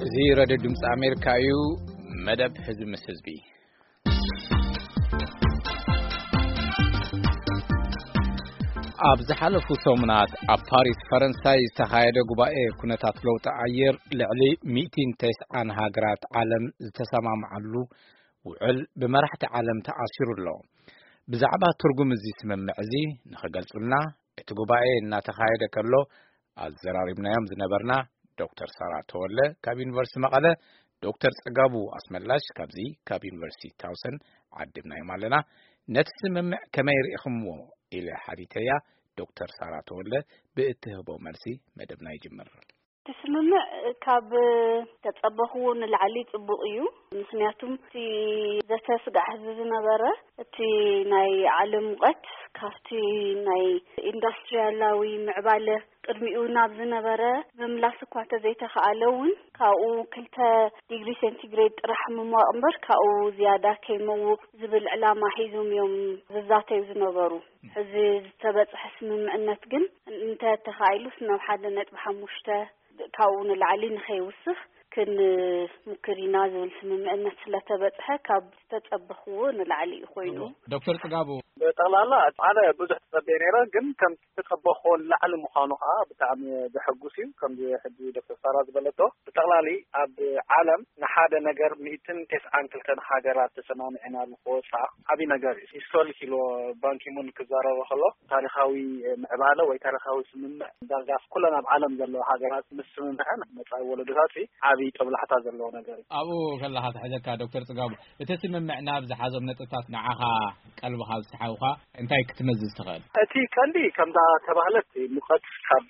እዚ ረድዮ ድምፂ ኣሜሪካ እዩ። መደብ ህዝቢ ምስ ህዝቢ። ኣብ ዝሓለፉ ሰሙናት ኣብ ፓሪስ ፈረንሳይ ዝተኻየደ ጉባኤ ኩነታት ለውጢ ኣየር ልዕሊ ሚእትን ተስዓን ሃገራት ዓለም ዝተሰማምዓሉ ውዕል ብመራሕቲ ዓለም ተኣሲሩ ኣሎ። ብዛዕባ ትርጉም እዚ ስምምዕ እዚ ንኽገልጹልና እቲ ጉባኤ እናተኻየደ ከሎ ኣዘራሪብናዮም ዝነበርና ዶክተር ሳራ ተወለ ካብ ዩኒቨርሲቲ መቐለ፣ ዶክተር ጽጋቡ ኣስመላሽ ካብዚ ካብ ዩኒቨርሲቲ ታውሰን ዓዲብናዮም ኣለና። ነቲ ስምምዕ ከመይ ርኢኹምዎ ኢለ ሓቲተያ። ዶክተር ሳራ ተወለ ብእትህቦ መልሲ መደብና ይጅምር። እቲ ስምምዕ ካብ ተጸበኽዎ ንላዕሊ ጽቡቕ እዩ። ምኽንያቱም እቲ ዘተ ስጋዕ ህዝቢ ዝነበረ እቲ ናይ ዓለም ሙቐት ካብቲ ናይ ኢንዱስትሪያላዊ ምዕባለ ቅድሚኡ ናብ ዝነበረ ምምላስ እኳ እንተዘይተኻኣለ እውን ካብኡ ክልተ ዲግሪ ሴንቲግሬድ ጥራሕ ምሟቕ እምበር ካብኡ ዝያዳ ከይመውቕ ዝብል ዕላማ ሒዞም እዮም ዝዛተዩ ዝነበሩ። ሕዚ ዝተበጽሐ ስምምዕነት ግን እንተተኻኢሉስ ናብ ሓደ ነጥቢ ሓሙሽተ ካብኡ ንላዕሊ ንኸይውስኽ ክንሙክር ኢና ዝብል ስምምዕነት ስለተበጽሐ ካብ ዝተጸበኽዎ ንላዕሊ እዩ ኮይኑ። ዶክተር ጽጋቡ። ብጠቕላላ ኣነ ብዙሕ ተጸበየ ነይረ፣ ግን ከም ዝተጸበኽዎ ንላዕሊ ምዃኑ ከዓ ብጣዕሚ ዘሐጉስ እዩ። ከምዚ ሕጂ ዶክተር ሳራ ዝበለቶ ብጠቕላሊ ኣብ ዓለም ንሓደ ነገር ሚእትን ተስዓን ክልተን ሃገራት ተሰማሚዐናሉ ክወፃ ዓብዪ ነገር እዩ። ሂስቶሪክ ኢሉ ባንኪሙን ክዛረበ ከሎ ታሪኻዊ ምዕባለ ወይ ታሪኻዊ ስምምዕ ዳርጋ ኩለን ኣብ ዓለም ዘለዋ ሃገራት ምስ ስምምዐን መፃኢ ወለዶታት ዓብዪ ጦብላሕታ ዘለዎ ነገር እዩ። ኣብኡ ከለኻ ትሕዘካ ዶክተር ጽጋቡ፣ እቲ ስምምዕ ናብ ዝሓዞም ነጥብታት ንዓኻ ቀልብኻ ዝሰሓቡኻ እንታይ ክትመዝዝ ትኽእል? እቲ ቀንዲ ከምዛ ተባህለት ሙቐት ካብ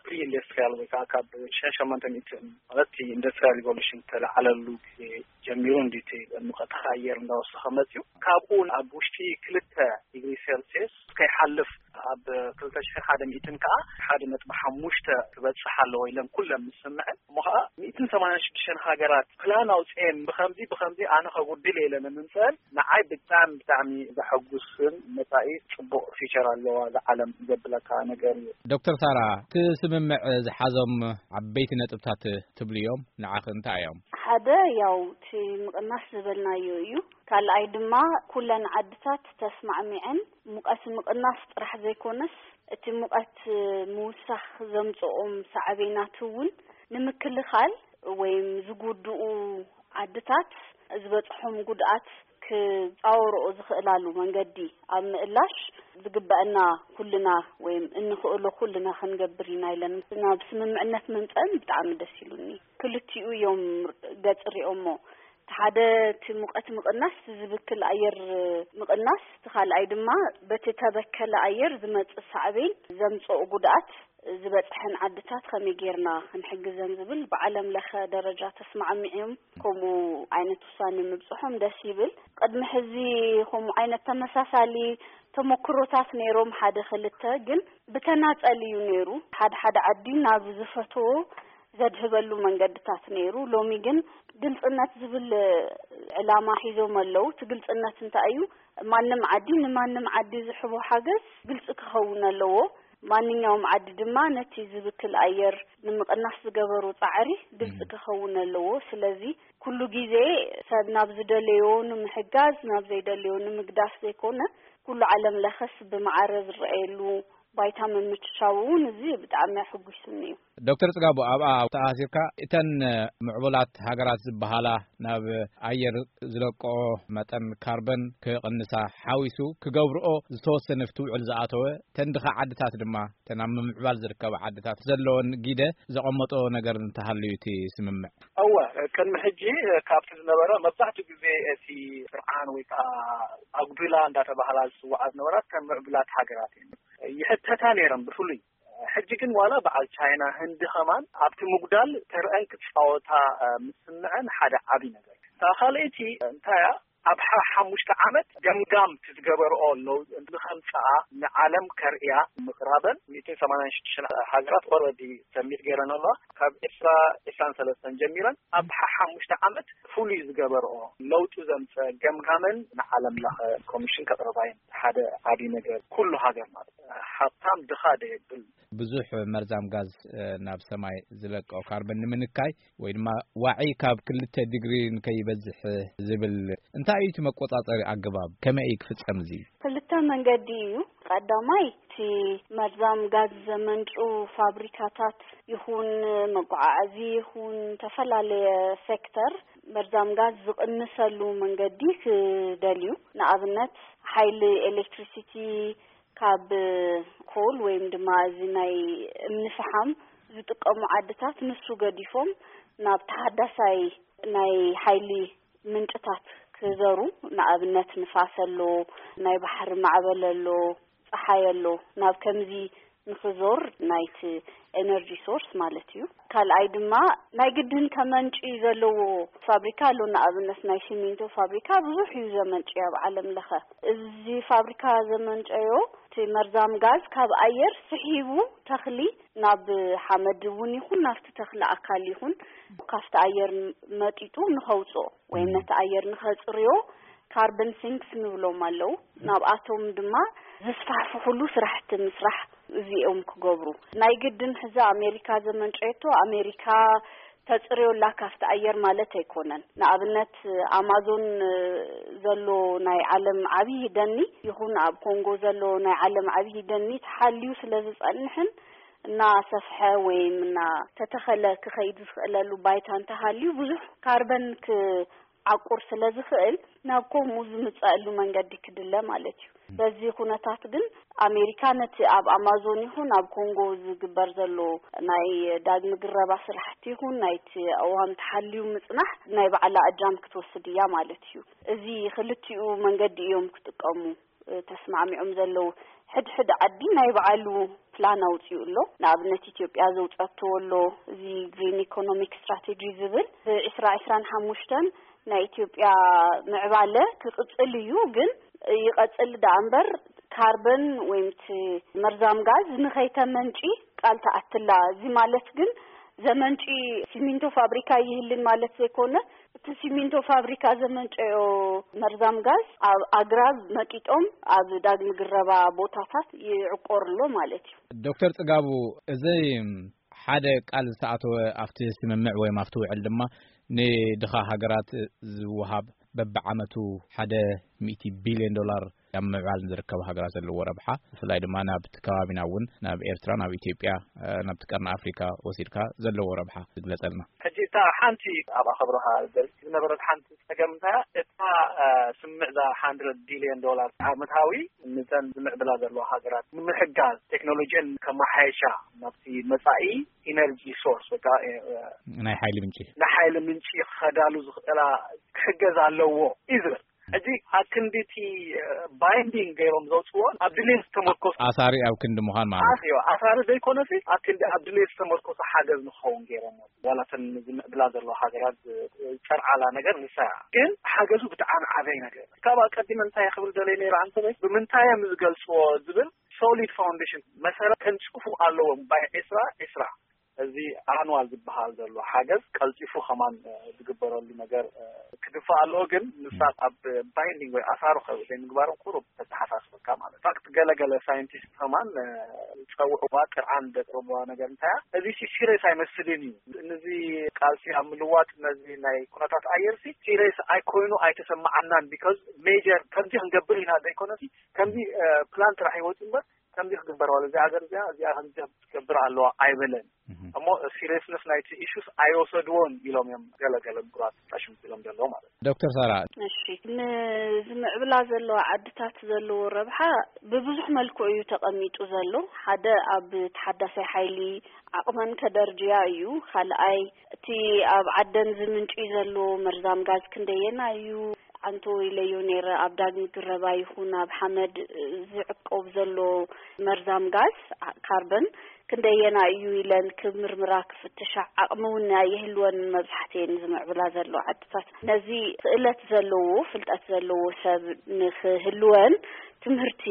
ፕሪ ኢንዱስትሪያል ወይ ከዓ ካብ ሽሕን ሸሞንተ ሚእትን ማለት ኢንዱስትሪያል ሪቮሉሽን ተለዓለሉ ግዜ ጀሚሩ እንዲ እቲ ሙቐት ኣየር እንዳወሰኸ መፅዩ። ካብኡ ኣብ ውሽጢ ክልተ ዲግሪ ሴልሲየስ ከይሓልፍ ኣብ ክልተ ሽሕን ሓደ ሚእትን ከዓ ሓደ ነጥቢ ሓሙሽተ ክበፅሕ ኣለዎ ኢለን ኩለን ምስምዐን። እሞ ከዓ ሚእትን ሰማንያን ሽዱሽተን ሃገራት ፕላን ኣውፅኤን ብኸምዚ ብኸምዚ ኣነ ከጉድል እየ ኢለን ንምምፅአን ንዓይ ብጣዕሚ ብጣዕሚ ዘሐጉስን መፃኢ ፅቡቕ ፊቸር ኣለዋ እዛ ዓለም ዘብለካ ነገር እዩ። ዶክተር ሳራ፣ እቲ ስምምዕ ዝሓዞም ዓበይቲ ነጥብታት ትብሉ እዮም፣ ንዓኺ እንታይ እዮም? ሓደ ያው እቲ ምቕናስ ዝበልናዮ እዩ። ካልኣይ ድማ ኩለን ዓድታት ተስማዕሚዐን ሙቐት ምቕናስ ጥራሕ ዘይኮነስ እቲ ሙቐት ምውሳኽ ዘምፅኦም ሳዕቤናት እውን ንምክልኻል ወይም ዝጉድኡ ዓድታት ዝበፅሖም ጉድኣት ክፃወርኦ ዝኽእላሉ መንገዲ ኣብ ምእላሽ ዝግበአና ኩልና ወይም እንኽእሎ ኩልና ክንገብር ኢና ኢለን ናብ ስምምዕነት ምምፀአን ብጣዕሚ ደስ ኢሉኒ። ክልቲኡ እዮም ገፅ ሪኦሞ። እቲ ሓደ እቲ ሙቐት ምቕናስ፣ እቲ ዝብክል ኣየር ምቕናስ፣ እቲ ካልኣይ ድማ በቲ ተበከለ ኣየር ዝመፅእ ሳዕቤን ዘምፅኦ ጉድኣት ዝበፅሐን ዓድታት ከመይ ጌርና ክንሕግዘን ዝብል ብዓለም ለኸ ደረጃ ተስማዕሚዕም ከምኡ ዓይነት ውሳኔ ምብፅሖም ደስ ይብል። ቅድሚ ሕዚ ከምኡ ዓይነት ተመሳሳሊ ተመክሮታት ነይሮም፣ ሓደ ክልተ፣ ግን ብተናጸል እዩ ነይሩ። ሓደ ሓደ ዓዲ ናብ ዝፈትዎ ዘድህበሉ መንገድታት ነይሩ። ሎሚ ግን ግልጽነት ዝብል ዕላማ ሒዞም ኣለዉ። እቲ ግልጽነት እንታይ እዩ? ማንም ዓዲ ንማንም ዓዲ ዝሕቦ ሓገዝ ግልጺ ክኸውን ኣለዎ። ማንኛውም ዓዲ ድማ ነቲ ዝብክል ኣየር ንምቕናስ ዝገበሩ ጻዕሪ ግልጺ ክኸውን ኣለዎ። ስለዚ ኩሉ ግዜ ሰብ ናብ ዝደለዮ ንምሕጋዝ፣ ናብ ዘይደለዮ ንምግዳፍ ዘይኮነ፣ ኩሉ ዓለም ለኸስ ብማዕረ ዝረኣየሉ ባይታ ምምችቻው እውን እዚ ብጣዕሚ ኣሕጒሱኒ እዩ። ዶክተር ጽጋቡ፣ ኣብኣ ተኣሲርካ እተን ምዕቡላት ሃገራት ዝበሃላ ናብ ኣየር ዝለቅኦ መጠን ካርበን ክቕንሳ ሓዊሱ ክገብርኦ ዝተወሰነ ፍትውዕል ዝኣተወ፣ እተን ድኻ ዓድታት ድማ እተን ኣብ ምምዕባል ዝርከባ ዓድታት ዘለወን ግደ ዘቐመጦ ነገር እንተሃልዩ እቲ ስምምዕ? እወ፣ ቅድሚ ሕጂ ካብቲ ዝነበረ መብዛሕትኡ ግዜ እቲ ስርዓን ወይ ከዓ ኣጉዱላ እንዳተባሃላ ዝፅዋዓ ዝነበራ ከም ምዕቡላት ሃገራት እየን ይሕተታ ነይረን ብፍሉይ። ሕጂ ግን ዋላ በዓል ቻይና፣ ህንዲ ከማን ኣብቲ ምጉዳል ተርአን ክፃወታ ምስምዐን ሓደ ዓብዪ ነገር እዩ። እታ ካልኣይቲ እንታይ እያ? ኣብ ሓ ሓሙሽተ ዓመት ገምጋም ክትገበርኦ ኣለዉ። ንኸምፅኣ ንዓለም ከርእያ ምቕራበን ሚእትን ሰማንያን ሽዱሽተ ሃገራት ኦልሬዲ ሰሚት ገይረን ኣለዋ። ካብ ዕስራ ዕስራን ሰለስተን ጀሚረን ኣብ ሓ ሓሙሽተ ዓመት ፍሉይ ዝገበርኦ ለውጢ ዘምፀ ገምጋመን ንዓለም ለኸ ኮሚሽን ከቕርባየን ሓደ ዓብዪ ነገር ኩሉ ሃገር ማለት ሃብታም ድኻ ደየብል። ብዙሕ መርዛም ጋዝ ናብ ሰማይ ዝለቀው ካርበን ንምንካይ ወይ ድማ ዋዒ ካብ ክልተ ዲግሪ ንከይበዝሕ ዝብል እንታይ እዩ እቲ መቆጻጸሪ ኣገባብ? ከመይ እዩ ክፍጸም እዚ? ክልተ መንገዲ እዩ። ቀዳማይ እቲ መርዛም ጋዝ ዘመንጩ ፋብሪካታት ይኹን መጓዓዓዚ ይኹን ዝተፈላለየ ሴክተር መርዛም ጋዝ ዝቕንሰሉ መንገዲ ክደልዩ። ንኣብነት ሓይሊ ኤሌክትሪሲቲ ካብ ኮል ወይም ድማ እዚ ናይ እምኒ ፈሓም ዝጥቀሙ ዓድታት ንሱ ገዲፎም ናብ ተሓዳሳይ ናይ ሓይሊ ምንጭታት ክዘሩ፣ ንኣብነት ንፋስ ኣሎ፣ ናይ ባሕሪ ማዕበል ኣሎ፣ ጸሓይ ኣሎ፣ ናብ ከምዚ ንኽዞር ናይቲ ኤነርጂ ሶርስ ማለት እዩ። ካልኣይ ድማ ናይ ግድን ከመንጭ ዘለዎ ፋብሪካ ኣሎ። ንኣብነት ናይ ሲሚንቶ ፋብሪካ ብዙሕ እዩ ዘመንጭ ኣብ ዓለም ለኸ። እዚ ፋብሪካ ዘመንጨዮ እቲ መርዛም ጋዝ ካብ ኣየር ስሒቡ ተኽሊ ናብ ሓመድ እውን ይኹን ናብቲ ተኽሊ ኣካል ይኹን ካብቲ ኣየር መጢጡ ንኸውፅኦ ወይም ነቲ ኣየር ንኸፅርዮ ካርበን ሲንክስ ንብሎም ኣለዉ። ናብኣቶም ድማ ዝስፋሕፍሕሉ ስራሕቲ ምስራሕ እዚኦም ክገብሩ። ናይ ግድን ሕዚ ኣሜሪካ ዘመንጨየቶ ኣሜሪካ ተፅርዮላ ካብቲ ኣየር ማለት ኣይኮነን። ንኣብነት ኣማዞን ዘሎ ናይ ዓለም ዓብዪ ደኒ ይኹን ኣብ ኮንጎ ዘሎ ናይ ዓለም ዓብዪ ደኒ ተሓልዩ ስለ ዝጸንሕን እናሰፍሐ ወይም እናተተኸለ ክኸይድ ዝኽእለሉ ባይታ እንተሃልዩ ብዙሕ ካርበን ክዓቁር ስለ ዝኽእል ናብ ከምኡ ዝምጸእሉ መንገዲ ክድለ ማለት እዩ። በዚ ኩነታት ግን ኣሜሪካ ነቲ ኣብ ኣማዞን ይኹን ኣብ ኮንጎ ዝግበር ዘሎ ናይ ዳግሚ ግረባ ስራሕቲ ይኹን ናይቲ ኣዋም ተሓልዩ ምጽናሕ ናይ ባዕላ እጃም ክትወስድ እያ ማለት እዩ። እዚ ክልቲኡ መንገዲ እዮም ክጥቀሙ ተስማዕሚዖም ዘለዉ። ሕድሕድ ዓዲ ናይ ባዕሉ ፕላን ኣውፂኡ ኣሎ። ንኣብነት ኢትዮጵያ ዘውፀቶ ኣሎ፣ እዚ ግሪን ኢኮኖሚክ ስትራቴጂ ዝብል ብዕስራ ዕስራን ሓሙሽተን ናይ ኢትዮጵያ ምዕባለ ክቕፅል እዩ። ግን ይቐፅል ደኣ እምበር ካርበን ወይም እቲ መርዛም ጋዝ ንኸይተመንጪ ቃል ተኣትላ። እዚ ማለት ግን ዘመንጪ ሲሚንቶ ፋብሪካ ይህልን ማለት ዘይኮነ፣ እቲ ሲሚንቶ ፋብሪካ ዘመንጨዮ መርዛም ጋዝ ኣብ ኣግራብ መጢጦም ኣብ ዳግሚ ግረባ ቦታታት ይዕቆር ኣሎ ማለት እዩ። ዶክተር ጽጋቡ፣ እዚ ሓደ ቃል ዝተኣተወ ኣብቲ ስምምዕ ወይ ኣብቲ ውዕል ድማ ንድኻ ሃገራት ዝወሃብ በብዓመቱ ሓደ ሚእቲ ቢልዮን ዶላር ኣብ ምዕባል ንዝርከባ ሃገራት ዘለዎ ረብሓ፣ ብፍላይ ድማ ናብቲ ከባቢና እውን ናብ ኤርትራ፣ ናብ ኢትዮጵያ፣ ናብቲ ቀርኒ ኣፍሪካ ወሲድካ ዘለዎ ረብሓ ዝግለጸልና። ሕጂ እታ ሓንቲ ኣብኣ ከብረኻ ዝደሊ ዝነበረት ሓንቲ ጸገም እንታይ እያ? እታ ስምምዕ እዛ ሓንድረድ ቢልዮን ዶላር ዓመታዊ ንተን ዝምዕብላ ዘለዋ ሃገራት ንምሕጋዝ ቴክኖሎጂን ከመሓየሻ ናብቲ መጻኢ ኢነርጂ ሶርስ ወይ ከዓ ናይ ሓይሊ ምንጪ ናይ ሓይሊ ምንጪ ክኸዳሉ ዝኽእላ ክሕገዝ ኣለዎ እዩ ዝብል። ሕጂ ኣብ ክንዲ እቲ ባይንዲንግ ገይሮም ዘውፅዎ ኣብ ድሌት ዝተመርኮሱ ኣሳሪ ኣብ ክንዲ ምዃን ማለት እዩ። ኣሳሪ ዘይኮነሲ ኣብ ክንዲ ኣብ ድሌት ዝተመርኮሱ ሓገዝ ንክኸውን ገይሮም። ዋላ እተን ዝምዕብላ ዘለዋ ሃገራት ዝጨርዓላ ነገር ንሳ እያ። ግን ሓገዙ ብጣዕሚ ዓበይ ነገር ካብ ኣቀዲመ እንታይ ክብል ደለየ ነይረ ኣንተ ብምንታይ እዮም ዝገልፅዎ ዝብል ሶሊድ ፋውንዴሽን መሰረት ከንፅፉ ኣለዎም ባይ ዕስራ ዕስራ እዚ ኣንዋል ዝበሃል ዘሎ ሓገዝ ቀልጢፉ ከማን ዝግበረሉ ነገር ክድፋእ ኣለዎ። ግን ንሳ ኣብ ባይንዲንግ ወይ ኣሳሩ ዘይምግባሮም ቁሩብ ተተሓሳስበካ ማለት ፋክት ገለገለ ሳይንቲስት ከማን ዝፀውዕዋ ጥርዓን ዘቅርብዋ ነገር እንታይ እያ እዚ ሲሪየስ ኣይመስልን እዩ። ነዚ ቃልሲ ኣብ ምልዋጥ ነዚ ናይ ኩነታት ኣየርሲ ሲሪየስ ኣይኮይኑ ኣይተሰማዓናን ቢካዝ ሜጀር ከምዚ ክንገብር ኢና ዘይኮነሲ ከምዚ ፕላን ጥራሕ ይወፅ እምበር ከምዚ ክግበር ዋለ እዚ ሃገር እዚኣ እዚኣ ከምዚ ክትገብር ኣለዋ ኣይበለን። እሞ ሲሪየስነስ ናይቲ ኢሹስ ኣይወሰድዎን ኢሎም እዮም ገለገለ ምሁራት ጣሽም ኢሎም ዘለዎ ማለት እዩ። ዶክተር ሳራ፣ እሺ ንዝምዕብላ ዘለዋ ዓድታት ዘለዎ ረብሓ ብብዙሕ መልክዑ እዩ ተቐሚጡ ዘሎ። ሓደ ኣብ ተሓዳሳይ ሓይሊ ዓቕመን ከደርጅያ እዩ። ካልኣይ እቲ ኣብ ዓደን ዝምንጭ ዘሎ መርዛም ጋዝ ክንደየና እዩ? ኣንቶ ኢለዮ ነይረ ኣብ ዳግሚ ግረባ ይኹን ኣብ ሓመድ ዝዕቆብ ዘሎ መርዛም ጋዝ ካርበን ክንደየና እዩ ኢለን ክምርምራ ክፍትሻ ዓቕሚ እውን ኣየህልወን። መብዛሕትኤን ዝምዕብላ ዘለዋ ዓድታት ነዚ ክእለት ዘለዎ፣ ፍልጠት ዘለዎ ሰብ ንክህልወን ትምህርቲ፣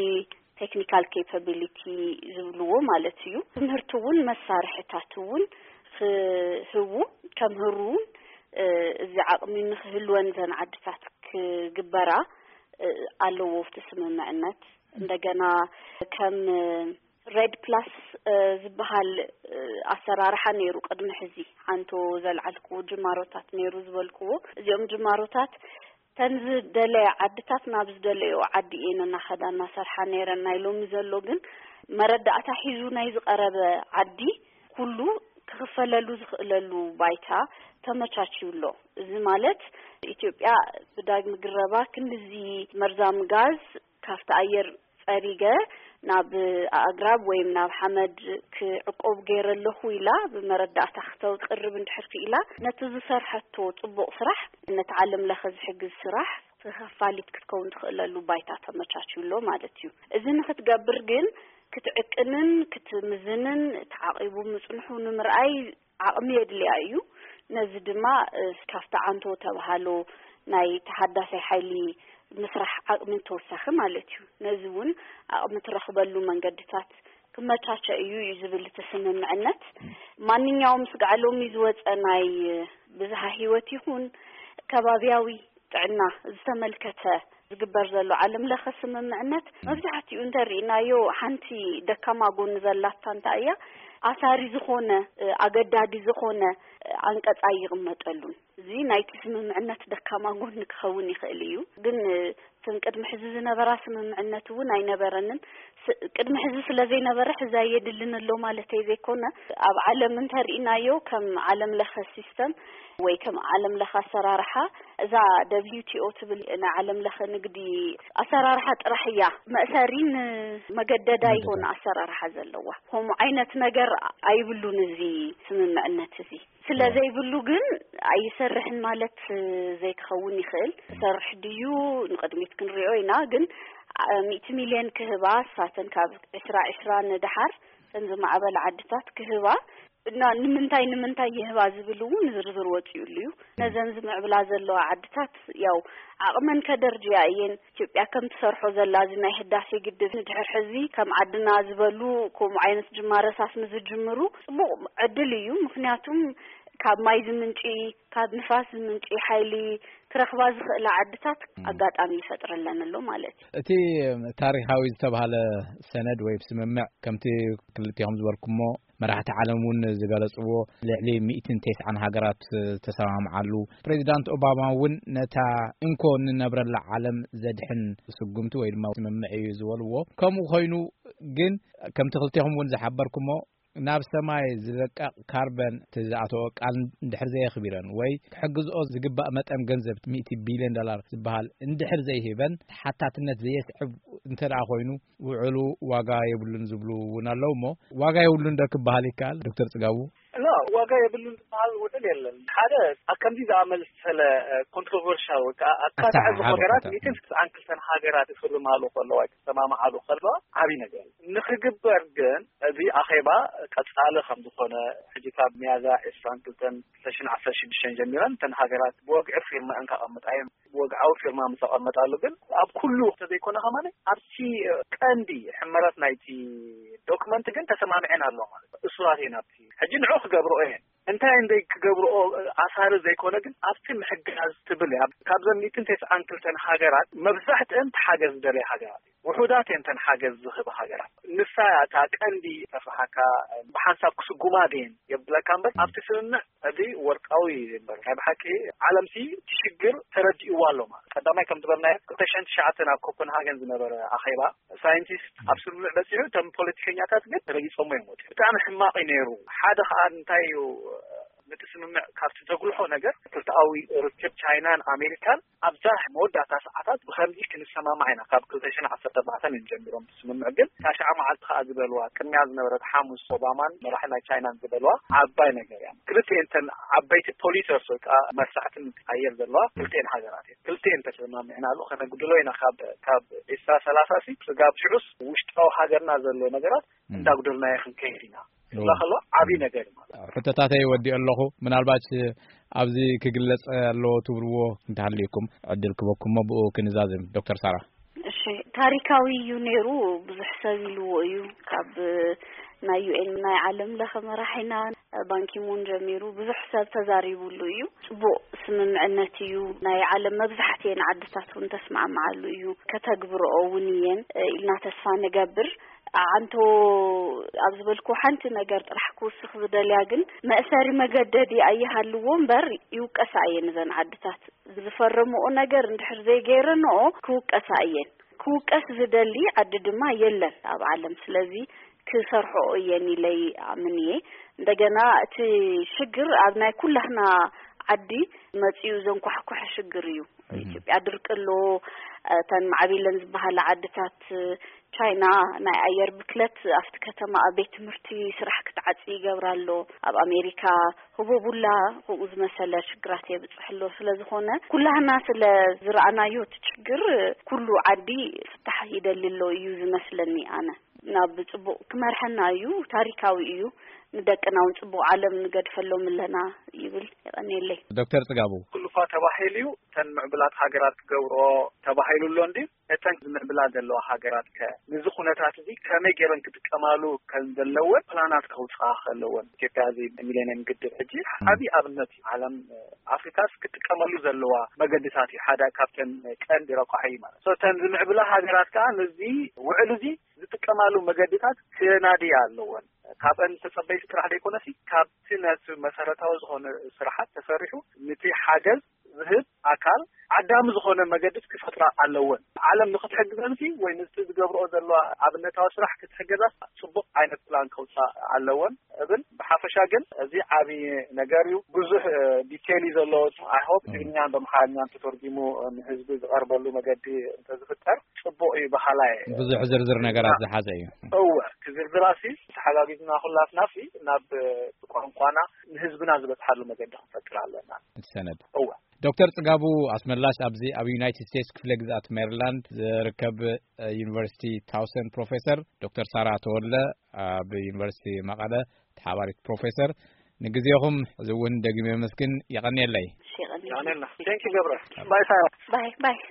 ቴክኒካል ኬፓቢሊቲ ዝብልዎ ማለት እዩ። ትምህርቲ እውን መሳርሕታት እውን ክህቡ፣ ከምህሩ እውን እዚ ዓቕሚ ንክህልወን ዘን ዓድታት ክግበራ ኣለዎ እቲ ስምምዕነት። እንደገና ከም ሬድ ፕላስ ዝበሃል ኣሰራርሓ ነይሩ ቅድሚ ሕዚ። ሓንቶ ዘልዓልክዎ ጅማሮታት ነይሩ ዝበልክዎ፣ እዚኦም ጅማሮታት ተን ዝደለያ ዓድታት ናብ ዝደለዮ ዓዲ እየን እናኸዳ እናሰርሓ ነይረን። ናይ ሎሚ ዘሎ ግን መረዳእታ ሒዙ ናይ ዝቐረበ ዓዲ ኩሉ ክኽፈለሉ ዝኽእለሉ ባይታ ተመቻችዩ ኣሎ። እዚ ማለት ኢትዮጵያ ብዳግሚ ግረባ ክንድዚ መርዛም ጋዝ ካብቲ ኣየር ጸሪገ ናብ ኣግራብ ወይም ናብ ሓመድ ክዕቆብ ገይረ ኣለኹ ኢላ ብመረዳእታ ክተቅርብ እንድሕር ክኢላ፣ ነቲ ዝሰርሐቶ ጽቡቕ ስራሕ፣ ነቲ ዓለም ለኸ ዝሕግዝ ስራሕ ተኸፋሊት ክትከውን ትኽእለሉ ባይታ ተመቻችዩ ኣሎ ማለት እዩ። እዚ ንክትገብር ግን ክትዕቅንን ክትምዝንን ተዓቂቡ ምጽንሑ ንምርኣይ ዓቕሚ የድልያ እዩ። ነዚ ድማ ካብቲ ዓንቶ ተባሃሎ ናይ ተሓዳሳይ ሓይሊ ምስራሕ ዓቕሚ ተወሳኺ ማለት እዩ። ነዚ እውን ዓቕሚ ትረኽበሉ መንገድታት ክመቻቸ እዩ እዩ ዝብል እቲ ስምምዕነት። ማንኛውም ስጋዕ ሎሚ ዝወፀ ናይ ብዝሃ ህይወት ይኹን ከባቢያዊ ጥዕና ዝተመልከተ ዝግበር ዘሎ ዓለም ለኸ ስምምዕነት መብዛሕትኡ እንተሪእናዮ ሓንቲ ደካማ ጎኒ ዘላታ እንታይ እያ? ኣሳሪ ዝኾነ፣ ኣገዳዲ ዝኾነ ዓንቀፅ ኣይቕመጠሉን። እዚ ናይቲ ስምምዕነት ደካማ ጎኒ ክኸውን ይኽእል እዩ። ግን እተን ቅድሚ ሕዚ ዝነበራ ስምምዕነት እውን ኣይነበረንን። ስ- ቅድሚ ሕዚ ስለ ዘይነበረ ሕዚ ኣየድልን ኣሎ ማለተይ ዘይኮነ፣ ኣብ ዓለም እንተሪእናዮ ከም ዓለም ለኸ ሲስተም ወይ ከም ዓለም ለኸ ኣሰራርሓ እዛ ደብሊው ቲ ኦ ትብል ናይ ዓለም ለኸ ንግዲ ኣሰራርሓ ጥራሕ እያ መእሰሪን መገደዳ ይኾነ ኣሰራርሓ ዘለዋ። ከምኡ ዓይነት ነገር ኣይብሉን እዚ ስምምዕነት እዚ። ስለ ዘይብሉ ግን ኣይሰርሕን ማለት ዘይክኸውን ይኽእል። ሰርሕ ድዩ ንቕድሚት ክንሪኦ ኢና። ግን ሚእቲ ሚልዮን ክህባ ሳተን ካብ ዕስራ ዕስራ ንድሓር እተን ዝማዕበላ ዓድታት ክህባ እና ንምንታይ ንምንታይ ይህባ ዝብል እውን ዝርዝር ወፂኡሉ እዩ። ነዘን ዝምዕብላ ዘለዋ ዓድታት ያው ዓቕመን ከደርጅያ እየን። ኢትዮጵያ ከም ትሰርሖ ዘላ እዚ ናይ ህዳሴ ግድብ ንድሕር ሕዚ ከም ዓድና ዝበሉ ከምኡ ዓይነት ጅማረሳት ንዝጅምሩ ፅቡቕ ዕድል እዩ። ምክንያቱም ካብ ማይ ዝምንጪ፣ ካብ ንፋስ ዝምንጪ ሓይሊ ክረኽባ ዝኽእላ ዓድታት ኣጋጣሚ ይፈጥረለን ኣሎ ማለት እዩ። እቲ ታሪኻዊ ዝተባህለ ሰነድ ወይ ስምምዕ ከምቲ ክልቲኹም ዝበልኩሞ መራሕቲ ዓለም እውን ዝገለጽዎ ልዕሊ ሚእትን ተስዓን ሃገራት ዝተሰማምዓሉ፣ ፕሬዚዳንት ኦባማ እውን ነታ እንኮ እንነብረላ ዓለም ዘድሕን ስጉምቲ ወይ ድማ ስምምዕ እዩ ዝበልዎ። ከምኡ ኮይኑ ግን ከምቲ ክልቴኹም እውን ዝሓበርኩሞ ናብ ሰማይ ዝለቀቕ ካርበን እቲ ዝኣተወ ቃል እንድሕር ዘየኽቢረን ወይ ክሕግዝኦ ዝግባእ መጠን ገንዘብ ሚእቲ ቢልዮን ዶላር ዝበሃል እንድሕር ዘይሂበን ተሓታትነት ዘየስዕብ እንተ ደኣ ኮይኑ ውዕሉ ዋጋ የብሉን ዝብሉ እውን ኣለዉ እሞ ዋጋ የብሉን ዶ ክበሃል ይከኣል? ዶክተር ጽጋቡ። ላ ዋጋ የብሉን ዝበሃል ውዕል የለን። ሓደ ኣብ ከምዚ ዝኣመሰለ ኮንትሮቨርሻል ወይ ከዓ ኣካታዒ ኣሰሓሓቢ ነገራት ኮንትሮቨርሻል። ሚእትን ስስዓን ክልተን ሃገራት ይፍርማሉ ከለዋ ይሰማምዓሉ ከለዋ ዓብዪ ነገር እዩ። ንክግበር ግን እዚ ኣኼባ ቀጻሊ ከም ዝኾነ ሕጂ ካብ ሚያዝያ ዕስራን ክልተን ክልተ ሽሕን ዓሰርተ ሽዱሽተን ጀሚረን እተን ሃገራት ብወግዒ ፊርመአን ከቐምጣ እየን። ወግዓዊ ፊርማ ምስ ኣቐመጣሉ ግን ኣብ ኩሉ ተዘይኮነ ከማን ኣብቲ ቀንዲ ሕመረት ናይቲ ዶክመንት ግን ተሰማምዐን ኣለዋ ማለት እዩ። እሱራት እየን ኣብቲ ሕጂ ንዑ ክገብርኦ እየን። እንታይ እንደ ክገብርኦ ኣሳሪ ዘይኮነ ግን ኣብቲ ምሕጋዝ ትብል እያ። ካብዘን ሚእትን ተስዓን ክልተን ሃገራት መብዛሕትአን ተሓገዝ ዝደለያ ሃገራት እየን። ውሑዳት እየን እተን ሓገዝ ዝህባ ሃገራት። ንሳ እያ እታ ቀንዲ ተፍርሓካ። ብሓንሳብ ክስጉማ ድየን የብለካ እምበር ኣብቲ ስምምዕ እዚ ወርቃዊ እምበር ናይ ብሓቂ ዓለምሲ እቲ ሽግር ተረዲእዋ ኣሎ ማለት። ቀዳማይ ከም ዝበልናዮ ክልተ ሽሕን ትሽዓተን ኣብ ኮፐንሃገን ዝነበረ ኣኼባ ሳይንቲስት ኣብ ስምምዕ በፂሑ እቶም ፖለቲከኛታት ግን ረጊፆሞ እዮም ወፂኦም። ብጣዕሚ ሕማቕ እዩ ነይሩ። ሓደ ከዓ እንታይ እዩ ነቲ ስምምዕ ካብቲ ዘጉልሖ ነገር ክልተኣዊ ርክብ ቻይናን ኣሜሪካን ኣብዛ መወዳእታ ሰዓታት ብኸምዚ ክንሰማማዕ ኢና ካብ ክልተ ሽሕን ዓሰርተ ኣርባዕተን እዮም ጀሚሮም ስምምዕ ግን ታሽዓ መዓልቲ ከዓ ዝበልዋ ቅድሚያ ዝነበረት ሓሙስ ኦባማን መራሒ ናይ ቻይናን ዝበልዋ ዓባይ ነገር እያ። ክልተ እንተን ዓበይቲ ፖሊሰርስ ወይ ከዓ መርሳዕትን ትቀየር ዘለዋ ክልተን ሃገራት እየን። ክልተን ተሰማሚዕናሉ ከነጉድሎ ኢና ካብ ካብ ዒስራ ሰላሳ ሲ ስጋብ ሽዑስ ውሽጣዊ ሃገርና ዘሎ ነገራት እንዳጉደልናዮ ክንከይድ ኢና። ክፍላ ከሎ ዓብዪ ነገር እዩ ማለት እዩ። ሕቶታተይ ወዲኦ ኣለኹ። ምናልባት ኣብዚ ክግለጽ ኣለዎ ትብልዎ እንተሃልዩኩም ዕድል ክበኩሞ ብኡ ክንዛዝም። ዶክተር ሳራ። እሺ፣ ታሪካዊ እዩ ነይሩ። ብዙሕ ሰብ ኢልዎ እዩ። ካብ ናይ ዩ ኤን ናይ ዓለም ለኸ መራሒና ባንኪሙን ጀሚሩ ብዙሕ ሰብ ተዛሪቡሉ እዩ። ጽቡቕ ስምምዕነት እዩ። ናይ ዓለም መብዛሕትኤን ዓድታት እውን ተስማዕማዓሉ እዩ። ከተግብረኦ እውን እየን ኢልና ተስፋ ንገብር። ኣዓንቶ ኣብ ዝበልኩ ሓንቲ ነገር ጥራሕ ክውስኽ ዝደልያ ግን፣ መእሰሪ መገደዲ ኣይሃልዎ እምበር ይውቀሳ እየን እዘን ዓድታት። ዝፈረምኦ ነገር እንድሕር ዘይገይረንኦ ክውቀሳ እየን። ክውቀስ ዝደሊ ዓዲ ድማ የለን ኣብ ዓለም። ስለዚ ክሰርሕኦ እየን ኢለ ይኣምን እየ። እንደገና እቲ ሽግር ኣብ ናይ ኩላህና ዓዲ መጺኡ ዘንኳሕኩሐ ሽግር እዩ። ኢትዮጵያ ድርቂ ኣሎ። እተን ማዕቢለን ዝበሃላ ዓድታት፣ ቻይና ናይ ኣየር ብክለት ኣብቲ ከተማ ኣብ ቤት ትምህርቲ ስራሕ ክትዓጽ ይገብራ ኣሎ። ኣብ ኣሜሪካ ህቦቡላ ከምኡ ዝመሰለ ሽግራት የብጽሕ ኣሎ። ስለ ዝኾነ ኩላህና ስለ ዝረኣናዮ እቲ ችግር ኩሉ ዓዲ ፍታሕ ይደሊ ኣሎ እዩ ዝመስለኒ ኣነ። ናብ ጽቡቕ ክመርሐና እዩ፣ ታሪካዊ እዩ። ንደቅና እውን ጽቡቕ ዓለም ንገድፈሎም ኣለና ይብል። የቐንየለይ። ዶክተር ጽጋቡ። ኩሉ እኳ ተባሂሉ እዩ፣ እተን ምዕብላት ሃገራት ክገብርኦ ተባሂሉ ኣሎ እንዲ፣ እተን ዝምዕብላ ዘለዋ ሃገራት ከ ነዚ ኩነታት እዚ ከመይ ገይረን ክጥቀማሉ ከም ዘለወን ፕላናት ከውፅኣ ከለወን። ኢትዮጵያ እዚ ሚሌኒየም ግድብ ሕጂ ዓብዪ ኣብነት እዩ። ዓለም ኣፍሪካስ ክጥቀመሉ ዘለዋ መገድታት እዩ። ሓደ ካብተን ቀንዲ ረቋሒ እዩ ማለት። So እተን ዝምዕብላ ሃገራት ከዓ ነዚ ውዕል እዚ ዝጥቀማሉ መገድታት ክናድያ ኣለወን። ካብአን ተጸበይቲ ጥራሕ ዘይኮነሲ ካብቲ ነቲ መሰረታዊ ዝኾነ ስራሓት ተሰሪሑ ንቲ ሓገዝ ዝህብ ኣካል ዓዳሚ ዝኾነ መገድት ክፈጥራ ኣለወን። ዓለም ንክትሕግዘንሲ ወይ ንስቲ ዝገብርኦ ዘለዋ ኣብነታዊ ስራሕ ክትሕገዛስ ጽቡቕ ዓይነት ፕላን ከውፃእ ኣለወን እብል። ብሓፈሻ ግን እዚ ዓብዪ ነገር እዩ። ብዙሕ ዲቴል እዩ ዘለዎ። I hope ትግርኛን በምሓርኛን ተተርጊሙ ንህዝቢ ዝቐርበሉ መገዲ እንተዝፍጠር ጽቡቕ እዩ በሃላይ። ብዙሕ ዝርዝር ነገራት ዝሓዘ እዩ። እወ፣ ክዝርዝራሲ ተሓጋጊዝና ኩላትናሲ ናብ ቋንቋና ንህዝብና ዝበፅሓሉ መገዲ ክንፈጥር ኣለና። እቲ ሰነድ። እወ። ዶክተር ጽጋቡ ኣስመላሽ ኣብዚ ኣብ ዩናይትድ ስቴትስ ክፍለ ግዝኣት ሜሪላንድ ዝርከብ ዩኒቨርሲቲ ታውሰን ፕሮፌሰር፣ ዶክተር ሳራ ተወለ ኣብ ዩኒቨርሲቲ መቐለ ተሓባሪት ፕሮፌሰር፣ ንግዜኹም እዚ እውን ደጊመ የመስግን። የቐንየለይ። የቐንየልና። Thank you ገብረ። ባይ ሳራ። ባይ ባይ።